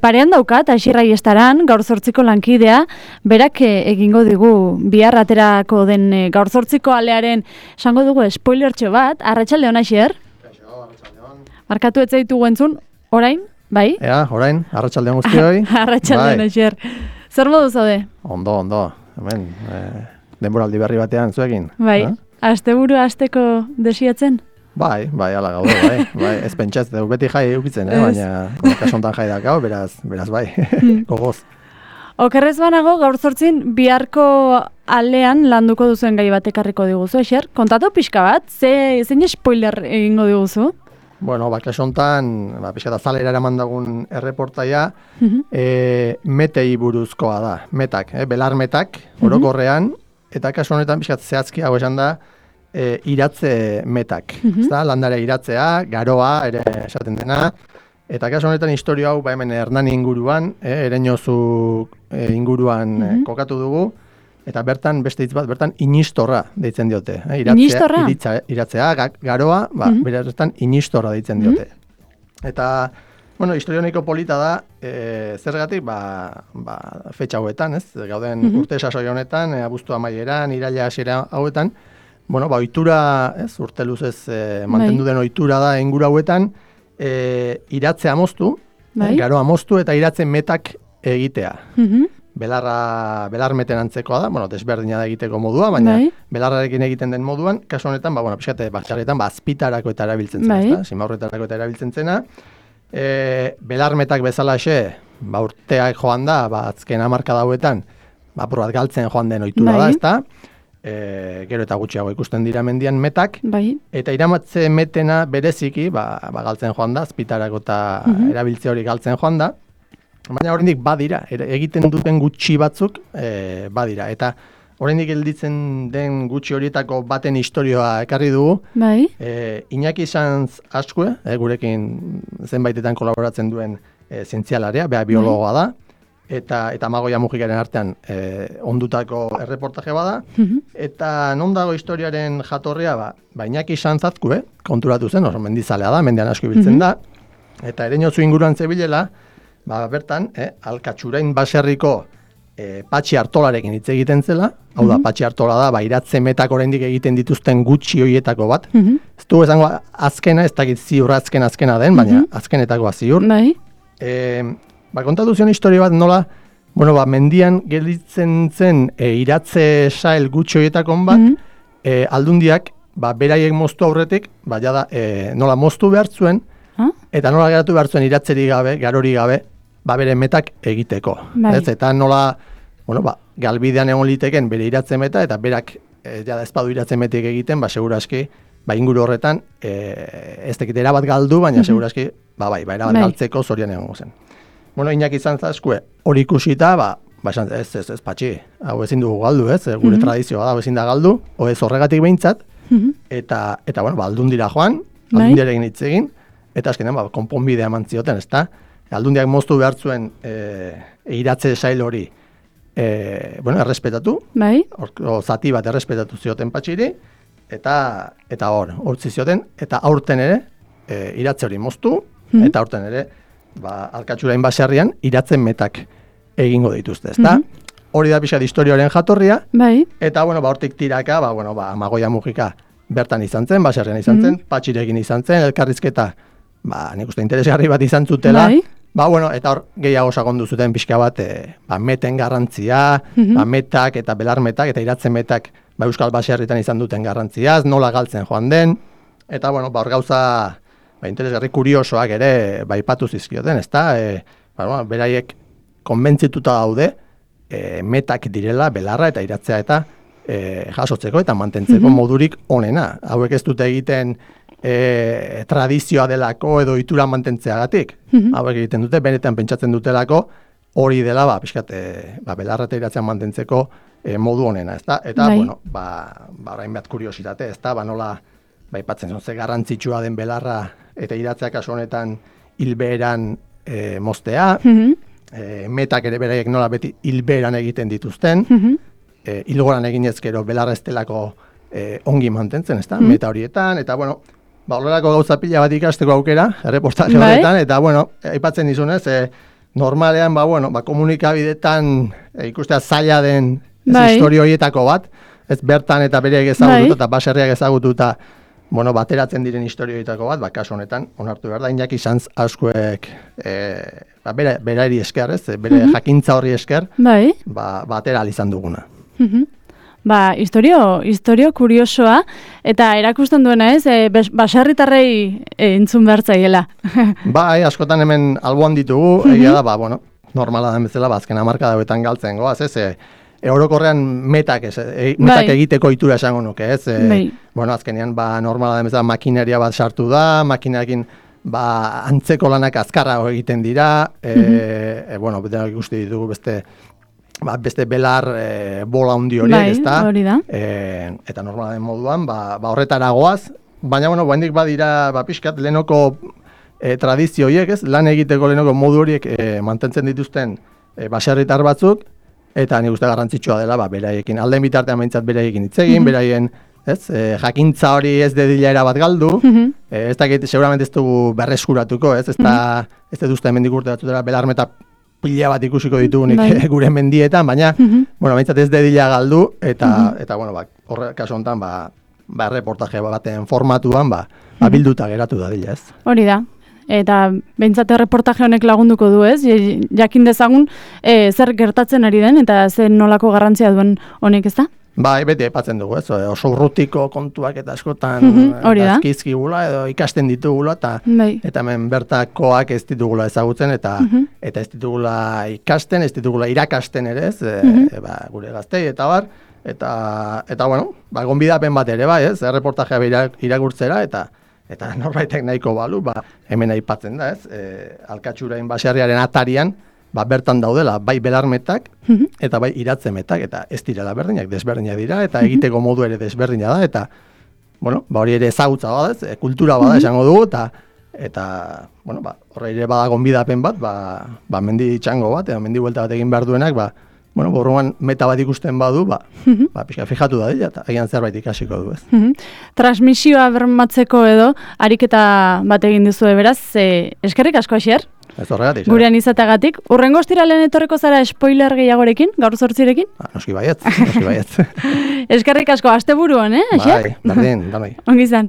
Parean daukat, Asirrai Estaran, gaur 8ko lankidea, berak egingo digu bihar aterako den gaur 8ko alearen, esango dugu spoilertxo bat, arratsaldeon Asier? Arratsaldeon. Markatu ez zaitugu entzun, orain, bai? Ea, orain, arratsaldeon guztioi. Arratsaldeon Asier. Zer modu zaude? Ondo. Hemen, denboraldi berri batean zuekin. Bai, asteburu hasteko desiatzen? Bai, ala gaude, bai. Ez pentsaz, beti jai eukitzen, baina kasontan jai dakau, beraz bai, gogoz. Okerrez banago, gaur 8 biharko alean landuko duzuen gai bat ekarriko diguzu, Asier? Kontatu pixka bat, zein spoiler egingo diguzu? Bueno, kasontan, pixka da zalera eraman dagun erreportaia, metei buruzkoa da, metak, belar metak, orokorrean, eta kasu honetan pixka zehazki hau esan da, iratze metak. Landare iratzea, garoa, ere esaten dena. Eta kasu honetan historia hau hemen Hernani inguruan, Ereñozu inguruan kokatu dugu. Eta bertan, beste hitz bat, bertan inistorra deitzen diote. Inistorra? Iratzea, garoa, bertan inistorra deitzen diote. Eta, bueno, historia honeko polita da, zergatik, fetxa hauetan, ez? Gauden urte sasoi honetan, abuztu amaieran, iraila hasiera hauetan, bueno, ohitura, ez, urte luzez mantendu den ohitura da inguru hauetan, iratzea moztu, garoa moztu eta iratzen metak egitea. Belar meten antzekoa da, bueno, desberdina da egiteko modua, baina belarrarekin egiten den moduan, kasu honetan, pixkate, batxarretan, azpitarako eta erabiltzen zena, simaurretarako eta erabiltzen zena. Belar metak bezalaxe, urteak joan da, azken hamarkada hauetan, apur bat galtzen joan den ohitura da, ezta? Gero eta gutxiago ikusten dira mendian metak, eta iramatze metena bereziki, galtzen joan da, azpitarako eta erabiltze hori galtzen joan da, baina oraindik badira, egiten duten gutxi batzuk badira, eta oraindik gelditzen den gutxi horietako baten historioa ekarri dugu, Iñaki Sanz Azkue, gurekin zenbaitetan kolaboratzen duen zientzialaria, biologoa da, eta Amagoia Mujikaren artean ondutako erreportaje bada, eta non dago historiaren jatorria, Iñaki Sanz Azkue, konturatu zen, oso mendizalea da, mendian asko ibiltzen da, eta Ereñozu inguruan zebilela, bertan, Alkatxurain baserriko Patxi Artolarekin hitz egiten zela, hau da, Patxi Artola da, iratze metak oraindik egiten dituzten gutxi hoietako bat. Ez dugu esango azkena, ez dakit ziur azkena den, baina azkenetakoa ziur. Kontatu zion historia bat nola, mendian gelditzen zen iratze sael gutxi hoietakon bat, aldundiak, beraiek moztu aurretik, nola moztu behar zuen, eta nola geratu behar zuen iratzeri gabe, garori gabe, bere metak egiteko. Eta nola, galbidean egon liteken bere iratze meta, eta berak ezpadu iratze metik egiten, seguraski, inguru horretan, ez dekit erabat galdu, baina seguraski, erabat galtzeko zorian egon zen. Iñaki Sanz Azkue hori ikusita, ez patxi, hau ezin dugu galdu, gure tradizioa da, ezin da galdu, ez horregatik behintzat, eta aldundira joan, aldundiarekin hitz egin, eta azkenean konponbidea eman zioten, ezta? Aldundiak moztu behar zuen iratze sail hori errespetatu, zati bat errespetatu zioten patxiri, eta hortzi zioten, eta aurten ere iratze hori moztu, eta aurten ere Alkatxurain baserrian iratzen metak egingo dituzte, ezta? Hori da pixat historioaren jatorria, eta hortik tiraka, Amagoia Mujika bertan izan zen, baserrian izan zen, patxirekin izan zen, elkarrizketa, nik uste interesgarri bat izan zutela, eta hor gehiago sakondu zuten pixka bat, meten garrantzia, metak eta belar metak eta iratzen metak euskal baserritan izan duten garrantziaz, nola galtzen joan den, eta hor gauza interesgarri kuriosoak ere aipatu zizkioten, ezta? Beraiek konbentzituta daude metak direla belarra eta iratzea eta jasotzeko eta mantentzeko modurik onena. Hauek ez dute egiten tradizioa delako edo ohitura mantentzeagatik. Hauek egiten dute, benetan pentsatzen dutelako hori dela, belarra eta iratzea mantentzeko modu onena, ezta? Eta, orain bat kuriositate, ezta? Nola, aipatzen ze garrantzitsua den belarra eta iratzea kasu honetan hilbeheran moztea, metak ere beraiek nola beti hilbeheran egiten dituzten, hilgoran eginez gero belarra ez delako ongi mantentzen, ezta? Meta horietan, eta horrelako gauza pila bat ikasteko aukera, erreportaje horretan, eta aipatzen dizunez, normalean, komunikabidetan ikustea zaila den Bai. historio horietako bat, ez bertan eta bereak ezagututa eta baserriak ezagututa, bateratzen diren historio horietako bat, kasu honetan, onartu behar da, Iñaki Sanz Azkuek berari esker, ez, bere jakintza horri esker, Bai. Batera izan duguna. Historio kuriosoa, eta erakusten duena ez, baserritarrei entzun behar zaiela. Bai, askotan hemen alboan ditugu, egia da, normala den bezala, azken hamarkada hauetan galtzen goaz, ez, orokorrean metak egiteko itura esango nuke, ez? Azkenean, normala den bezala makineria bat sartu da, makinekin antzeko lanak azkarrago egiten dira, denak ikusti ditugu beste belar bola handi horiek, ez da? Hori da. Eta normala den moduan, horretara goaz, baina, baindik badira, pixkat, lehenoko tradizio horiek, ez? Lan egiteko lehenoko modu horiek mantentzen dituzten baserritar batzuk, eta nik uste garrantzitsua dela, beraiekin, alden bitartean behintzat beraiekin hitz egin, beraien, jakintza hori ez dedilaera bat galdu, ez dakit, seguramente ez dugu berreskuratuko, ez dut uste mendik urte batzutera belarmeta pila bat ikusiko ditugunik gure mendietan, baina, behintzat ez dedila galdu, eta horre kaso honetan, reportaje baten formatuan, bilduta geratu da dila, ez? Hori da. Eta behintzate reportaje honek lagunduko du, ez? Jakin dezagun zer gertatzen ari den, eta zer nolako garrantzia duen honek, ez da? Beti aipatzen dugu, ez? Oso urrutiko kontuak eta askotan dazkizkigula edo ikasten ditugula, eta hemen bertakoak ez ditugula ezagutzen, eta ez ditugula ikasten, ez ditugula irakasten ere, ez? Gure gaztei eta bar, eta gonbidapen bat ere, ez? Reportajea irakurtzera, eta norbaitek nahiko balu, hemen aipatzen da, ez? Alkatxurain baserriaren atarian, bertan daudela, bai belarmetak, eta bai iratzemetak, eta ez direla berdinak, desberdinak dira, eta egiteko modu ere desberdina da, eta, hori ere ezagutza bada, ez? Kultura bada esango dugu, eta horre ere bada gonbidapen bat, mendi txango bat, mendi buelta bat egin behar duenak, borroan meta bat ikusten badu, pixka fijatu da dira, eta egian zerbait ikasiko du, ez. Transmisioa bermatzeko edo, ariketa bat egin duzu beraz, eskerrik asko, Asier? Ez horregatik. Gurean izateagatik. Urrengo ostiralean etorreko zara spoiler gehiagorekin, gaur 8rekin? Noski baietz. Eskerrik asko, asteburuan, Asier? Berdin, danai. Ongi izan.